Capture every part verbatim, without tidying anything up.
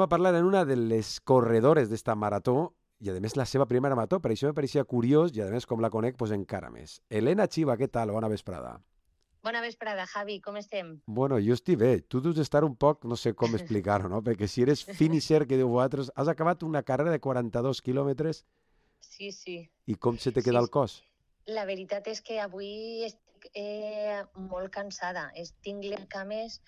a parlar en una de les corredores d'esta marató i, a més, la seva primera marató. Per això me pareixia curiós i, a més, com la conec, pues, encara més. Helena Chiva, què tal? Bona vesprada. Bona vesprada, Javi, com estem? Bueno, jo estic bé. Tu deus estar un poc, no sé com explicar-ho, no? Perquè si eres finisher, que diu vosaltres, has acabat una carrera de quaranta-dos quilòmetres Sí, sí. i com se te Sí, queda el cos? la veritat és que avui estic eh, molt cansada. Es- Tinc les cames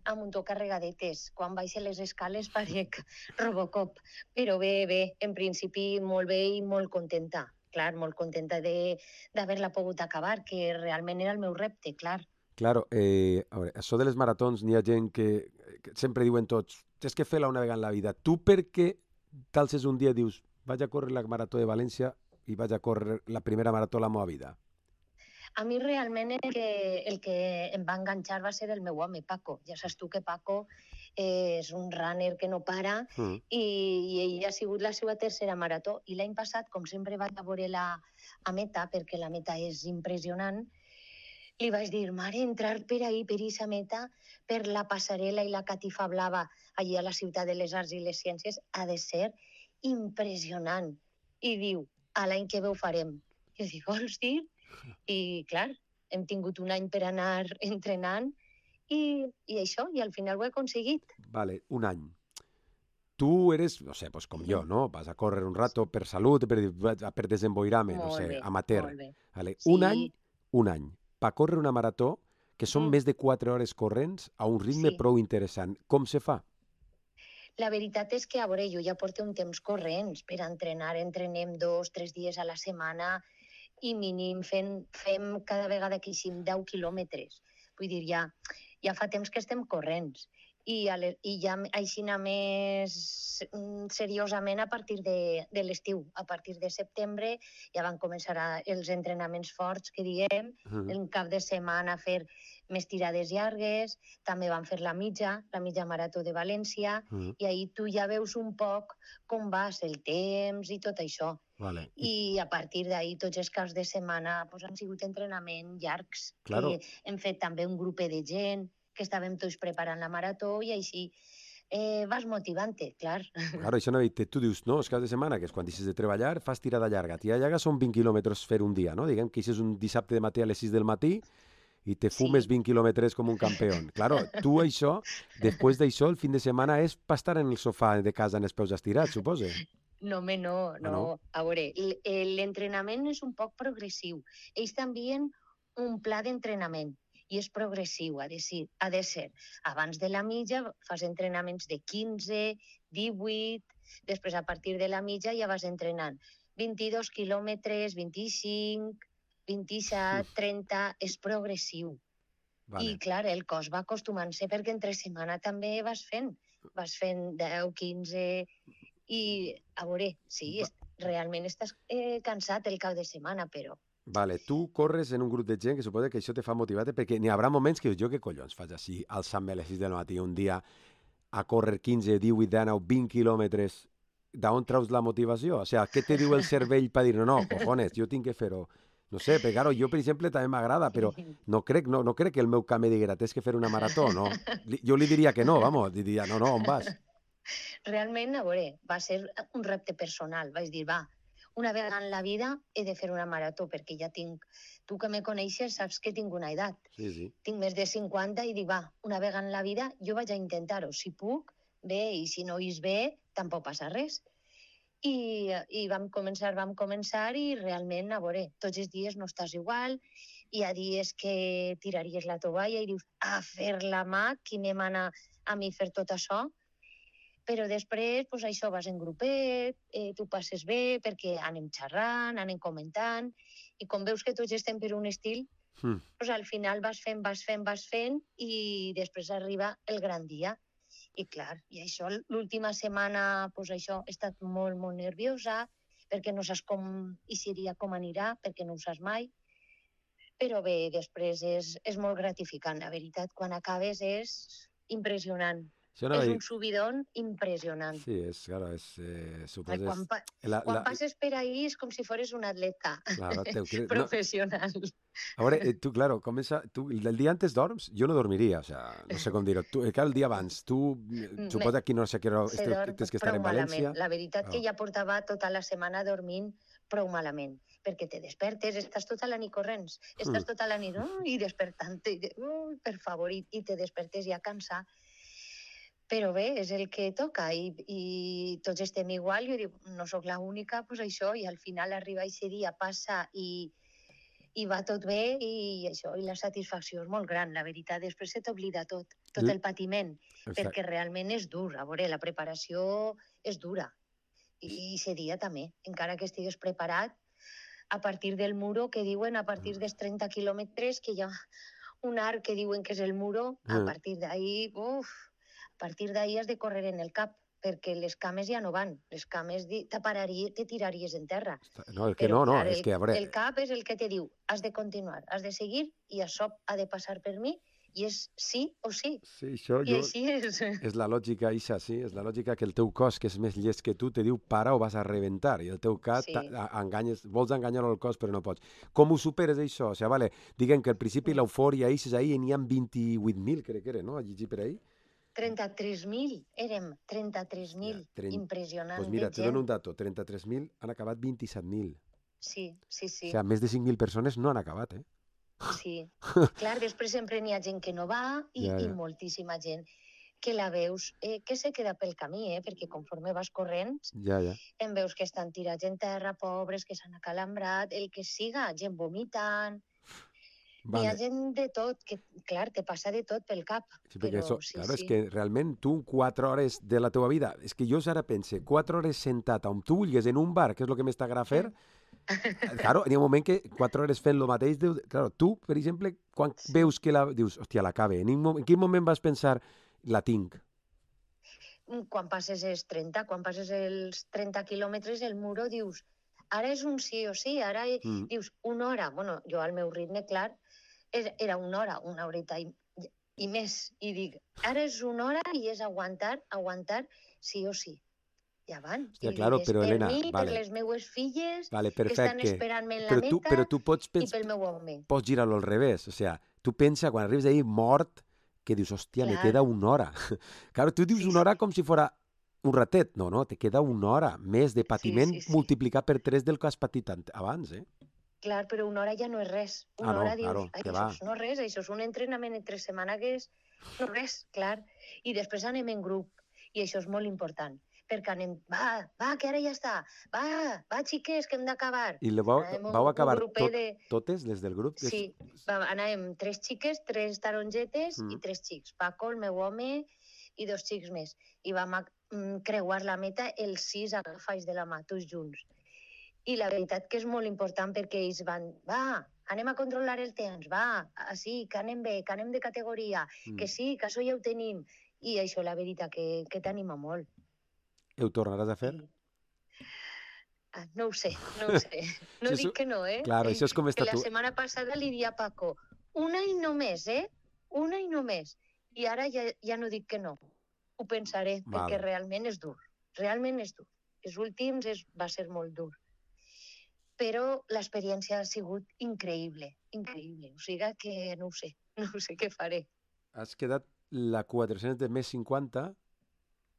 a muntó carregadetes. Quan baixo les escales parec Robocop. Però bé, bé, en principi molt bé i molt contenta. Clar, molt contenta de- d'haver-la pogut acabar, que realment era el meu repte, clar. Claro, eh, a veure, això de les maratons, n'hi ha gent que, que sempre diuen tots, tens que fer-la una vegada en la vida. Tu per què t'alces un dia i dius, vaig a córrer la marató de València i vaig a córrer la primera marató de la meva vida? A mi realment el que, el que em va enganxar va ser el meu home, Paco. Ja saps tu que Paco eh, és un runner que no para Mm. i, i ell ha sigut la seva tercera marató. I l'any passat, com sempre vaig a veure la a meta, perquè la meta és impressionant, li vaig dir, mare, entrar per ahir, per aquesta meta, per la passarel·la i la catifa blava allà a la ciutat de les arts i les ciències, ha de ser impressionant. I diu, a l'any que ve ho farem. Jo dic, vols dir? I, clar, hem tingut un any per anar entrenant i, i això, i al final ho he aconseguit. Vale, un any. Tu eres, no sé, pues com jo, no? Vas a córrer un rato per salut, per, per desemboirar-me, no Molt sé, bé, amateur. molt bé. Vale. Un any, Sí, un any. Per córrer una marató, que són mm, més de quatre hores corrents, a un ritme sí. prou interessant. Com se fa? La veritat és que, a veure, jo ja porto un temps corrents per entrenar. Entrenem dos, tres dies a la setmana i mínim fem, fem cada vegada que eixim deu quilòmetres. Vull dir, ja, ja fa temps que estem corrents. I, a le, i ja aixina més mm, seriosament a partir de, de l'estiu. A partir de setembre ja van començar a, els entrenaments forts, que diem, Mhm. en cap de setmana a fer més tirades llargues, també van fer la mitja, la mitja marató de València, Mhm. i ahir tu ja veus un poc com vas, el temps i tot això. Vale. I, I a partir d'ahir tots els caps de setmana pues, han sigut entrenaments llargs, claro, que hem fet també un grup de gent, que estàvem tots preparant la marató i així eh, vas motivant-te, clar. claro, això no he dit, tu dius, no, els caps de setmana, que és quan deixes de treballar, fas tirada llarga. Tirada llarga són vint quilòmetres fer un dia, no? Diguem que això és un dissabte de matí a les sis del matí i te fumes Sí. vint quilòmetres com un campió. Claro, tu això, després d'això, el fin de setmana és per estar en el sofà de casa amb els peus estirats, supose. No, home, no, Ah, no. no? A veure, l- eh, l'entrenament és un poc progressiu. Ells t'envien un pla d'entrenament i és progressiu, ha de, ser, ha de ser. Abans de la mitja fas entrenaments de quinze, divuit, després a partir de la mitja ja vas entrenant vint-i-dos quilòmetres, vint-i-cinc, vint-i-set, trenta, és progressiu. I, Vale. clar, el cos va acostumant-se perquè entre setmana també vas fent. Vas fent deu, quinze... I, a veure, sí, Va, est realment estàs eh, cansat el cap de setmana, però vale, tu corres en un grup de gent que suposa que això te fa motivar perquè n'hi haurà moments que dius, jo què collons faig així, alçant-me a les sis del matí un dia a córrer quinze, divuit, dinou, vint quilòmetres, d'on traus la motivació? O sigui, què te diu el cervell per dir, no, no, cojones, jo tinc que fer-ho? No sé, perquè, claro, jo, per exemple, també m'agrada, però no crec, no, no crec que el meu camp me diguera, tens que fer una marató, no. Li- Jo li diria que no, vamos, diria, no, no, on vas? realment, a veure, va ser un repte personal. Vaig dir, va, una vegada en la vida he de fer una marató, perquè ja tinc... Tu que me coneixes saps que tinc una edat. Sí, sí. Tinc més de cinquanta i dic, va, una vegada en la vida jo vaig a intentar-ho. Si puc, bé, i si no is bé, tampoc passa res. I, i vam començar, vam començar i realment, a veure, tots els dies no estàs igual, hi ha dies que tiraries la tovalla i dius, a fer la mà, qui me mana a mi fer tot això? Però després, pues, això, vas en grupet, eh, tu passes bé perquè anem xerrant, anem comentant, i com veus que tots estem per un estil, Hmm. pues, al final vas fent, vas fent, vas fent, i després arriba el gran dia. I clar, i això, l'última setmana, pues, això, he estat molt, molt nerviosa, perquè no saps com i seria com anirà, perquè no ho saps mai, però bé, després és, és molt gratificant, la veritat, quan acabes és impressionant. Això no És dir... un subidón impressionant. Sí, és, claro, és, eh, Ai, suposes... quan, pa La, quan la... passes per ahí és com si fores un atleta Claro, te... no... professional. A veure, eh, tu, claro, comença... Tu, el dia antes dorms? Jo no dormiria, o sea, no sé com dir-ho. Tu, eh, el dia abans, tu, Me, suposa que no sé què hora se este- dorm tens que estar prou en malament. València. La veritat Oh. que ja portava tota la setmana dormint prou malament, perquè te despertes, estàs tota la nit corrents, estàs tota la nit oh, i despertant-te, oh, per favor, i, i te despertes ja cansat. Però bé, és el que toca i, i tots estem igual. Jo dic, no sóc l'única, doncs això, i al final arriba aquest dia, passa i, i va tot bé i això, i la satisfacció és molt gran, la veritat. Després se t'oblida tot, tot el patiment, Exacte. perquè realment és dur. A veure, la preparació és dura. I aquest dia també, encara que estigues preparat, a partir del muro, que diuen, a partir dels trenta quilòmetres, que hi ha un arc que diuen que és el muro, a partir d'ahí, uf, a partir d'ahí has de córrer en el cap, perquè les cames ja no van. Les cames te pararies, te tiraries en terra. No, és que Però, no, no, clar, és el, que, a veure... el cap és el que te diu, has de continuar, has de seguir, i això ha de passar per mi, i és sí o sí. Sí, això I jo... així és. És la lògica, Isa, sí, és la lògica que el teu cos, que és més llest que tu, te diu para o vas a rebentar, i el teu cap, Sí. enganyes, vols enganyar el cos però no pots. Com ho superes, això? O sigui, vale, diguem que al principi l'eufòria, eixes ahí, n'hi ha vint-i-vuit mil, crec que era, no? A llegir per ahí. trenta-tres mil, érem trenta-tres mil, Ja, trenta... impressionant pues mira, de te gent. dono un dato, trenta-tres mil han acabat vint-i-set mil. Sí, sí, sí. O sigui, més de cinc mil persones no han acabat, eh? Sí. Clar, després sempre n'hi ha gent que no va i, Ja, ja. i moltíssima gent que la veus, eh, que se queda pel camí, eh, perquè conforme vas corrent, Ja, ja. en veus que estan tirats en terra, pobres, que s'han acalambrat, el que siga, gent vomitant. N'hi ha Vale. gent de tot, que, clar, te passa de tot pel cap. Sí, perquè però això, sí, claro, sí. és que realment tu quatre hores de la teva vida, és que jo ara pense, quatre hores sentat on tu vulguis en un bar, que és el que m'està fer, claro, hi ha un moment que quatre hores fent el mateix, dius, claro, tu, per exemple, quan Sí. veus que la... dius, hòstia, l'acabe, en, un mo- en quin moment vas pensar, la tinc? Quan passes els trenta, quan passes els trenta quilòmetres, el muro dius, ara és un sí o sí, ara Mm. dius una hora. Bueno, jo al meu ritme, clar, és- era una hora, una horeta i, i més. I dic, ara és una hora i és aguantar, aguantar sí o sí. Ja van. Hòstia, I claro, és però, per Helena, mi, vale. per les meues filles, Vale, que estan perfecte. esperant-me en la Però tu, meta, però tu pots, i pens, pel meu home. pots girar-lo al revés. O sea, tu pensa, quan arribes ahí mort, que dius, hòstia, me Clar. queda una hora. Claro, tu dius Sí, una hora sí. com si fora un ratet. No, no, te queda una hora més de patiment sí, sí. multiplicat per tres del que has patit ant- abans, eh? Clar, però una hora ja no és res. Una Ah, no, hora dius, claro, ai, que això va. és no res, això és un entrenament entre setmana que és no res, clar. I després anem en grup, i això és molt important, perquè anem, va, va, que ara ja està, va, va, xiques, que hem d'acabar. I le vau, Anem un- vau un acabar grupet tot, de- totes, les del grup? Sí, va, anàvem tres xiques, tres tarongetes Mm. i tres xics. Paco, el meu home, i dos xics més. I vam a- mm, creuar la meta els sis agafats de la mà, tots junts. I la veritat que és molt important perquè ells van, va, anem a controlar el temps, va, ah, sí, que anem bé, que anem de categoria, Mm. que sí, que això ja ho tenim. I això, la veritat, que, que t'anima molt. Ho tornaràs a fer? I... Ah, no ho sé, no ho sé. No Sí, dic això- que no, eh? Claro, això és com Que està la tu. setmana passada li dia a Paco, una i només, eh? Una i només. I ara ja, ja no dic que no. Ho pensaré, Val. perquè realment és dur. Realment és dur. Els últims és, va ser molt dur. Però l'experiència ha sigut increïble, increïble. O sigui que no ho sé, no sé què faré. Has quedat la quatre-cents de més cinquanta.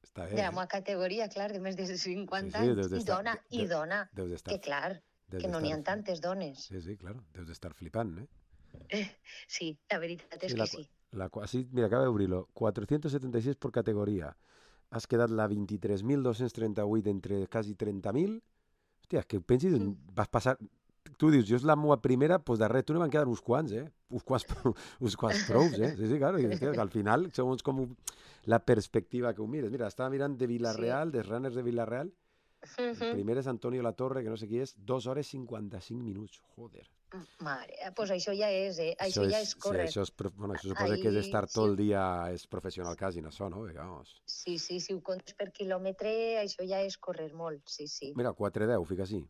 Està bé, De la eh? meva categoria, clar, de més de cinquanta Sí, sí, anys. deus I d'estar- dona, de- i de- dona. Deus d'estar... Que clar, deus que no n'hi ha d'estar- tantes dones. Sí, sí, claro, deus d'estar flipant, eh? Sí, la veritat és Sí, que la, sí. la, cua- sí, mira, acaba d'obrir-lo. quatre-cents setanta i sis por categoria. Has quedat la vint-i-tres mil dos-cents trenta-vuit entre quasi trenta mil. Hòstia, és que pensis, Mm. vas passar... Tu dius, jo és la meva primera, doncs darrere tu ne van quedar uns quants, eh? Uns quants, uns quants prous, eh? Sí, sí, claro. I, hòstia, que al final, segons com la perspectiva que ho mires. Mira, estava mirant de Villarreal, sí. dels runners de Villarreal. El Mhm. primer és Antonio Latorre, que no sé qui és, dos hores cinquanta-cinc minuts. Joder. Mare, doncs pues això ja és, eh? Això, això ja és córrer. Sí, això, és, prof- bueno, això suposa que és Ahí, estar sí. tot el dia, és professional quasi en això, no? Vamos. Sí, sí, si ho comptes per quilòmetre, això ja és córrer molt, sí, sí. Mira, quatre deu, fica així.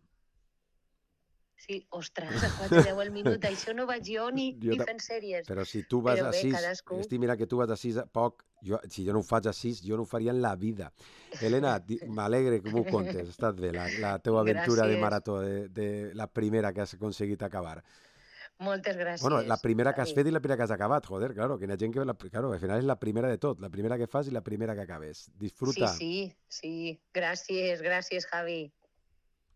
Sí, ostres, a quatre deu el minut, això no vaig jo ni, Jo ni ta- fent sèries. Però si tu vas Però a bé, sis, cadascú. estic mira que tu vas a sis a poc, jo, si jo no ho faig a sis, jo no ho faria en la vida. Helena, di- m'alegre que m'ho contes, ha estat bé, la, la teva aventura de Gràcies, marató, de, de la primera que has aconseguit acabar. moltes Bueno, la gràcies, primera que has Javi. fet i la primera que has acabat, joder, claro, que hi ha gent que, la, claro, al final és la primera de tot, la primera que fas i la primera que acabes. Sí, Disfruta. sí, sí, gràcies, gràcies, Javi.